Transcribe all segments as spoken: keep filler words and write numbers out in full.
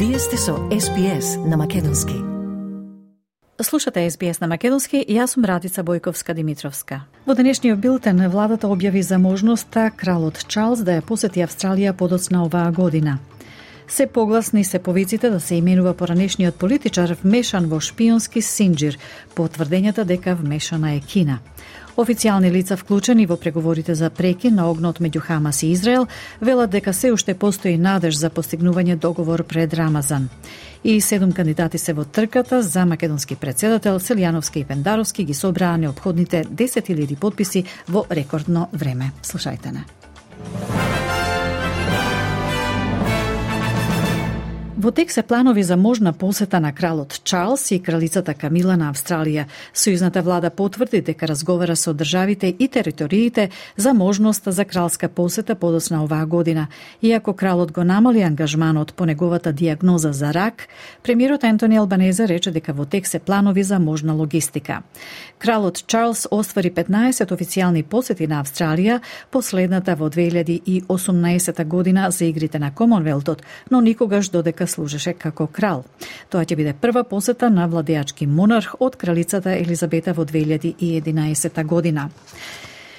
Вие сте со Ес Би Ес на Македонски. Слушате Ес Би Ес на Македонски и јас сум Радица Бојковска-Димитровска. Во денешниот билтен владата објави за можноста кралот Чарлс да ја посети Австралија подоцна оваа година. Се погласни се повиците да се именува поранешниот политичар вмешан во шпионски синџир, по тврдењата дека вмешана е Кина. Официјални лица вклучени во преговорите за прекин на огнот меѓу Хамас и Израел велат дека се уште постои надеж за постигнување договор пред Рамазан. И седум кандидати се во трката за македонски претседател. Селјановски и Пендаровски ги собраа неопходните десет илјади потписи во рекордно време. Слушајте не. Во тек се планови за можна посета на кралот Чарлс и кралицата Камила на Австралија. Сојузната влада потврди дека разговара со државите и териториите за можност за кралска посета подоцна оваа година. Иако кралот го намали ангажманот по неговата дијагноза за рак, премиерот Ентони Албанезе рече дека во тек се планови за можна логистика. Кралот Чарлс оствари петнаесет официјални посети на Австралија, последната во две илјади и осумнаесета година за игрите на Комонвелтот, но никогаш додека служеше како крал. Тоа ќе биде прва посета на владеачки монарх од кралицата Елизабета во две илјади и единаесета година.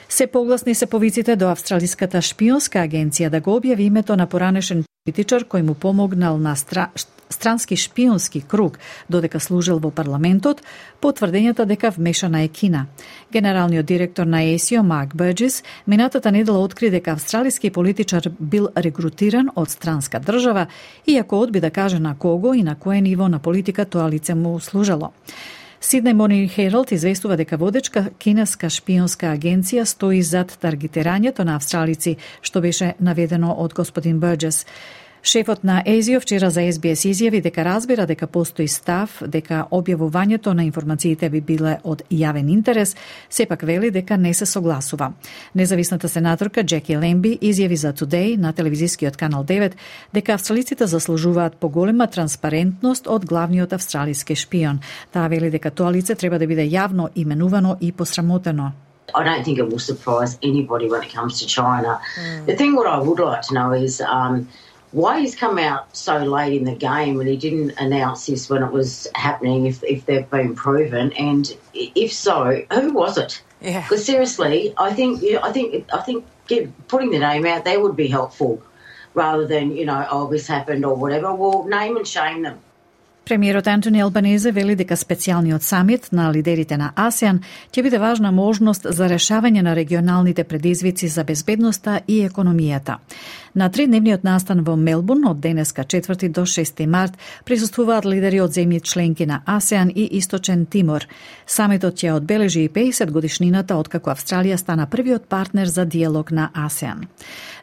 Се погласни се повиците до австралиската шпионска агенција да го објави името на поранешен политичар кој му помогнал на стра... странски шпионски круг додека служел во парламентот, по тврдењата дека вмешана е Кина. Генералниот директор на Ей Си О Марк Бурџес минатата недела откри дека австралиски политичар бил регрутиран од странска држава, иако одби да каже на кого и на кое ниво на политика тоа лице му служело. Сиднеј Morning Herald известува дека водечка кинеска шпионска агенција стои зад таргетирањето на австралици, што беше наведено од господин Бурџес. Шефот на Ей Си О вчера за Ес Би Ес изјави дека разбира дека постои став дека објавувањето на информациите би биле од јавен интерес, сепак вели дека не се согласува. Независната сенаторка Джеки Лемби изјави за Today на телевизискиот канал девет дека австралиците заслужуваат поголема транспарентност од главниот австралиски шпион. Таа вели дека тоа лице треба да биде јавно именувано и посрамотено. I don't think it will surprise anybody when it comes to China. Mm. The thing what I would like to know is um, why he's come out so late in the game and he didn't announce this when it was happening, if if they've been proven, and if so, who was it? Yeah. Because seriously, I think I think I think get, putting the name out there would be helpful, rather than you know, oh, this happened or whatever. Well, name and shame them. Премиерот Ентони Албанезе вели дека специјалниот самит на лидерите на АСЕАН ќе биде важна можност за решавање на регионалните предизвици за безбедноста и економијата. На тридневниот настан во Мелбурн од денеска четврти до шести март присуствуваат лидери од земји членки на АСЕАН и Источен Тимор. Самитот ќе одбележи и пеесет годишнината откако Австралија стана првиот партнер за диалог на АСЕАН.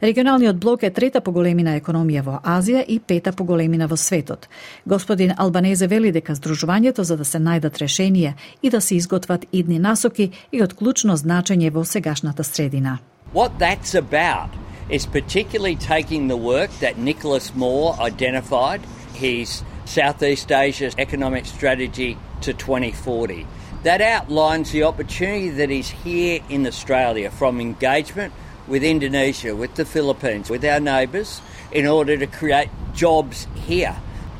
Регионалниот блок е трета по големина економија во Азија и пета по големина во светот. Господин Албанезе вели дека здружувањето за да се најдат решенија и да се изготват идни насоки е од клучно значење во сегашната средина. What that's about is particularly taking the work that Nicholas Moore identified, his Southeast Asia economic strategy to twenty forty. That outlines the opportunity that is here in Australia from engagement with Indonesia, with the Philippines, with our neighbours, in order to create jobs here.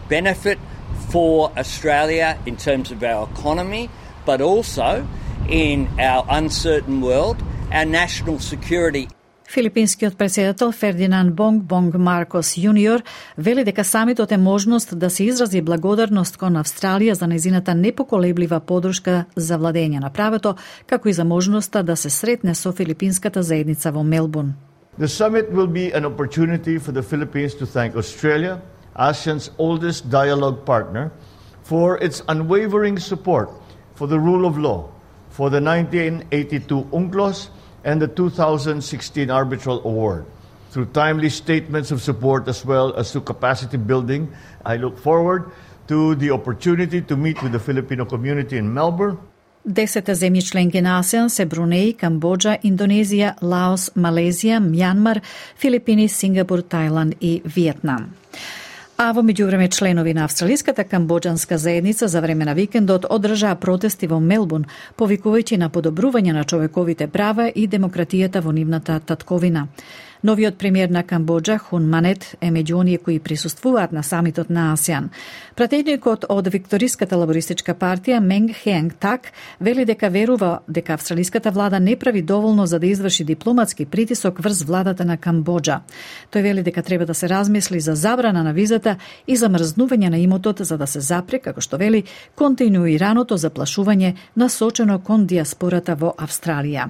Benefit for Australia in terms of our economy, but also in our uncertain world, our national security. Филипинскиот претседател Фердинанд Бонг Бонг Маркос јуниор вели дека самитот е можност да се изрази благодарност кон Австралија за незината непоколеблива подршка за владење на правото, како и за можноста да се сретне со филипинската заедница во Мелбурн. The summit will be an opportunity for the Philippines to thank Australia, ASEAN's oldest dialogue partner, for its unwavering support for the rule of law, for the nineteen eighty-two UNCLOS and the two thousand sixteen Arbitral Award. Through timely statements of support as well as to capacity building, I look forward to the opportunity to meet with the Filipino community in Melbourne. Десете земји членки на АСЕАН се Брунеј, Камбоџа, Индонезија, Лаос, Малезија, Мјанмар, Филипини, Сингапур, Тајланд и Виетнам. А во меѓувреме членови на австралиската камбоџанска заедница за време на викендот одржаа протести во Мелбурн, повикувајќи на подобрување на човековите права и демократијата во нивната татковина. Новиот премиер на Камбоџа, Хун Манет, е меѓу оние кои присуствуваат на самитот на АСЕАН. Пратеникот од Викториската лабористичка партија Менг Хенг Так вели дека верува дека австралиската влада не прави доволно за да изврши дипломатски притисок врз владата на Камбоџа. Тој вели дека треба да се размисли за забрана на визата и замрзнување на имотот за да се запре, како што вели, континуираното заплашување насочено кон диаспората во Австралија.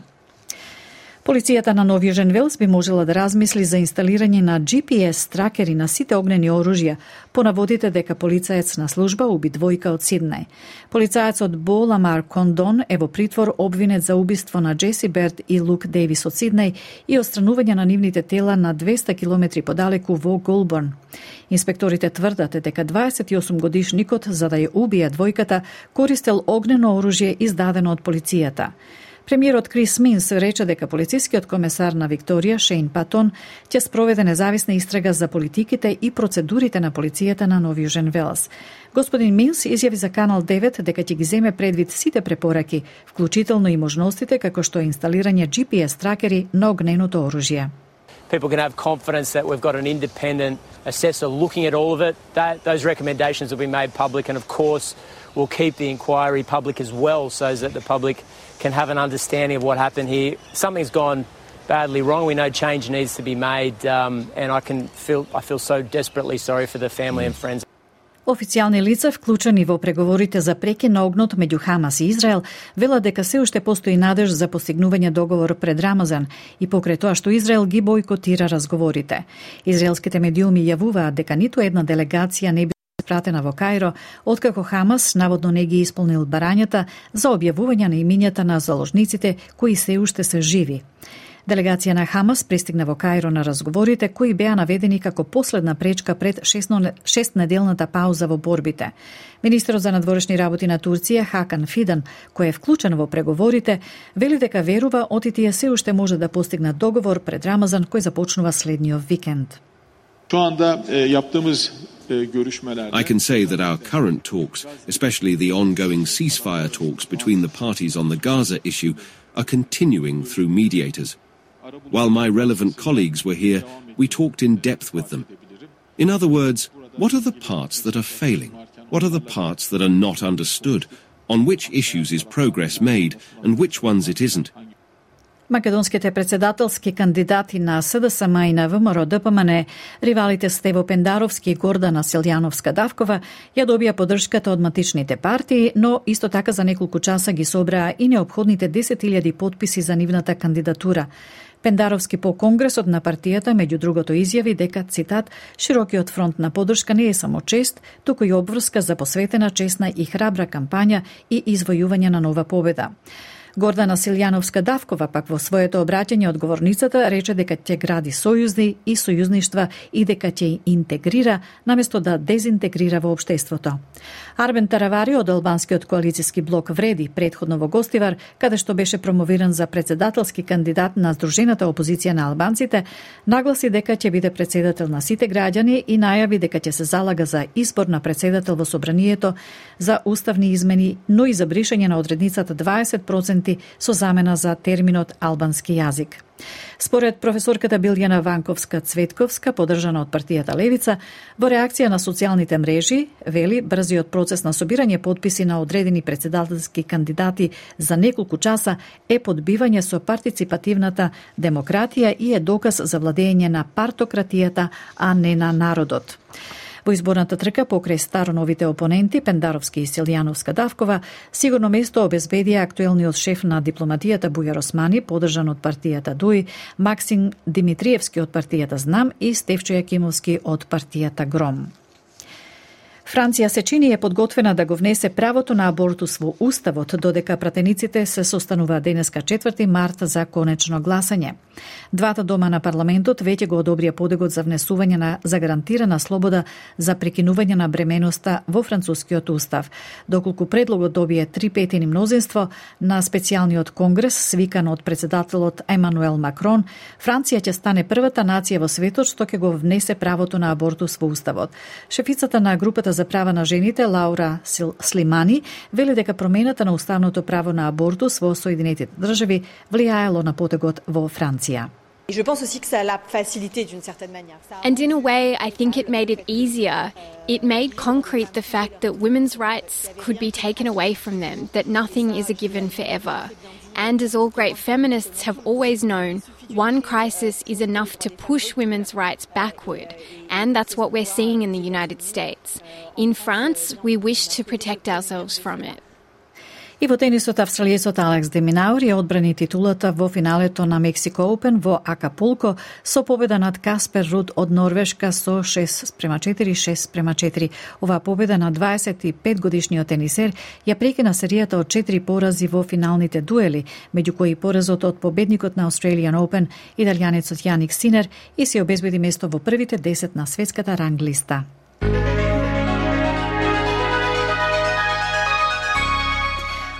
Полицијата на Нов Јужен Велс би можела да размисли за инсталирање на Джи Пи Ес тракери на сите огнени оружја, по наводите дека полицаец на служба уби двојка од Сиднеј. Полицаецот Бо Ламар Кондон е во притвор обвинет за убиство на Джеси Берт и Лук Дејвис од Сиднеј и отстранување на нивните тела на двеста километри подалеку во Голборн. Инспекторите тврдат дека дваесет и осум годишникот, за да ја убие двојката, користел огнено оружје издадено од полицијата. Премиерот Крис Минс рече дека полицискиот комесар на Викторија, Шейн Патон, ќе спроведе независна истрага за политиките и процедурите на полицијата на Нов Јужен Велс. Господин Минс изјави за Канал девет дека ќе ги земе предвид сите препораки, вклучително и можностите како што е инсталирање Джи Пи Ес тракери на огненото оружје. People can have confidence that we've got an independent assessor looking at all of it. That, those recommendations will be made public, and of course we'll keep the inquiry public as well so that the public can have an understanding of what happened here. Something's gone badly wrong. We know change needs to be made, um, and I can feel I feel so desperately sorry for the family and friends. Официјални лица вклучени во преговорите за прекин на огнот меѓу Хамас и Израел велат дека се уште постои надеж за постигнување договор пред Рамазан и покрај тоа што Израел ги бойкотира разговорите. Израелските медиуми јавуваат дека ниту една делегација не би пратена во Кајро, откако Хамас наводно не ги исполнил барањата за објавување на имињата на заложниците кои се уште се живи. Делегација на Хамас пристигна во Кајро на разговорите кои беа наведени како последна пречка пред шестнеделната пауза во борбите. Министерот за надворешни работи на Турција, Хакан Фидан, кој е вклучен во преговорите, вели дека верува отитија се уште може да постигнат договор пред Рамазан кој започнува следниот викенд. I can say that our current talks, especially the ongoing ceasefire talks between the parties on the Gaza issue, are continuing through mediators. While my relevant colleagues were here, we talked in depth with them. In other words, what are the parts that are failing? What are the parts that are not understood? On which issues is progress made and which ones it isn't? Македонските председателски кандидати на С Д С М и на В М Р Д П М Н, ривалите Стево Пендаровски и Гордана Силјановска-Давкова, ја добија поддршката од матичните партии, но исто така за неколку часа ги собраа и неопходните десет илјади потписи за нивната кандидатура. Пендаровски по Конгресот на партијата, меѓу другото, изјави дека, цитат, широкиот фронт на поддршка не е само чест, туку и обврска за посветена, честна и храбра кампања и извојување на нова победа. Гордана Силјановска-Давкова пак во своето обраќање од говорницата рече дека ќе гради сојузни и сојузништва и дека ќе интегрира наместо да дезинтегрира во општеството. Арбен Таравари од албанскиот коалицијски блок Вреди претходно во Гостивар, каде што беше промовиран за председателски кандидат на Сдружената опозиција на албанците, нагласи дека ќе биде председател на сите граѓани и најави дека ќе се залага за избор на председател во собранието, за уставни измени, но и за бришање на одредницата дваесет проценти со замена за терминот албански јазик. Според професорката Билјана Ванковска-Цветковска, поддржана од партијата Левица, во реакција на социјалните мрежи, вели, брзиот процес на собирање потписи на одредени председателски кандидати за неколку часа е подбивање со партиципативната демократија и е доказ за владење на партократијата, а не на народот. Во изборната трка покрај староновите опоненти Пендаровски и Силјановска-Давкова сигурно место обезбедија актуелниот шеф на дипломатијата Бујар Османи, поддржан од партијата Дуј, Максим Димитриевски од партијата Знам и Стефчо Јакимовски од партијата Гром. Франција се чини е подготвена да го внесе правото на абортус во уставот, додека пратениците се состануваат денеска четврти март за конечно гласање. Двата дома на парламентот веќе го одобрија подегот за внесување на загарантирана слобода за прекинување на бременоста во францускиот устав. Доколку предлогот добие три петини мнозинство на специјалниот конгрес свикан од председателот Емануел Макрон, Франција ќе стане првата нација во светот што ќе го внесе правото на абортус во уставот. Шефицата на групата за права на жените Лаура Слимани вели дека промената на уставното право на абортус во Соединетите држави влијаело на потегот во Франција. And in a way, I think it made it easier. It made concrete the fact that women's rights could be taken away from them, that nothing is a given forever. And as all great feminists have always known, one crisis is enough to push women's rights backward, and that's what we're seeing in the United States. In France, we wish to protect ourselves from it. И во тенисот австралиецот Алекс де Минаур ја одбрани титулата во финалето на Мексико Оупен во Акапулко со победа над Каспер Руд од Норвешка со шест спрема четири, шест спрема четири. Оваа победа на дваесет и пет годишниот тенисер ја прекина серијата од четири порази во финалните дуели, меѓу кои поразот од победникот на Australian Open, италијанецот Јаник Синер, и се обезбеди место во првите десет на светската ранглиста.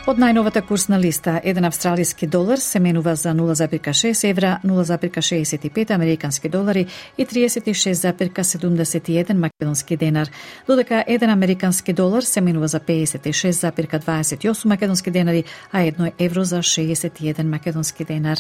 Од најновата курсна листа, еден австралиски долар се менува за нула запирка шест евра, нула запирка шеесет и пет американски долари и триесет и шест запирка седумдесет и еден македонски денар, додека еден американски долар се менува за пеесет и шест запирка дваесет и осум македонски денари, а едно евро за шеесет и еден македонски денар.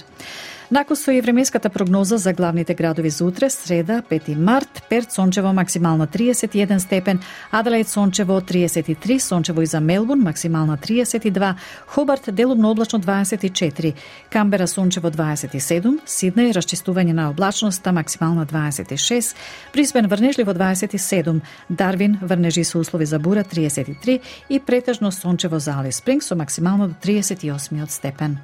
Накусо и временската прогноза за главните градови за утре, среда, пети март, Перт сончево максимално триесет и еден степен, Аделаид сончево триесет и три, сончево и за Мелбурн максимално триесет и два, Хобарт делумно облачно дваесет и четири, Камбера сончево дваесет и седум, Сиднеј расчистување на облачноста максимално дваесет и шест, Брисбен врнежливо дваесет и седум, Дарвин врнежи со услови за бура триесет и три и претежно сончево за Алис Спрингс со максимално до триесет и осми степен.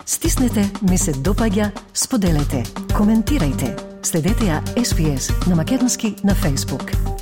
Стиснете, ми се допаѓа, споделете, коментирајте. Следете ја Ес Би Ес на македонски на Facebook.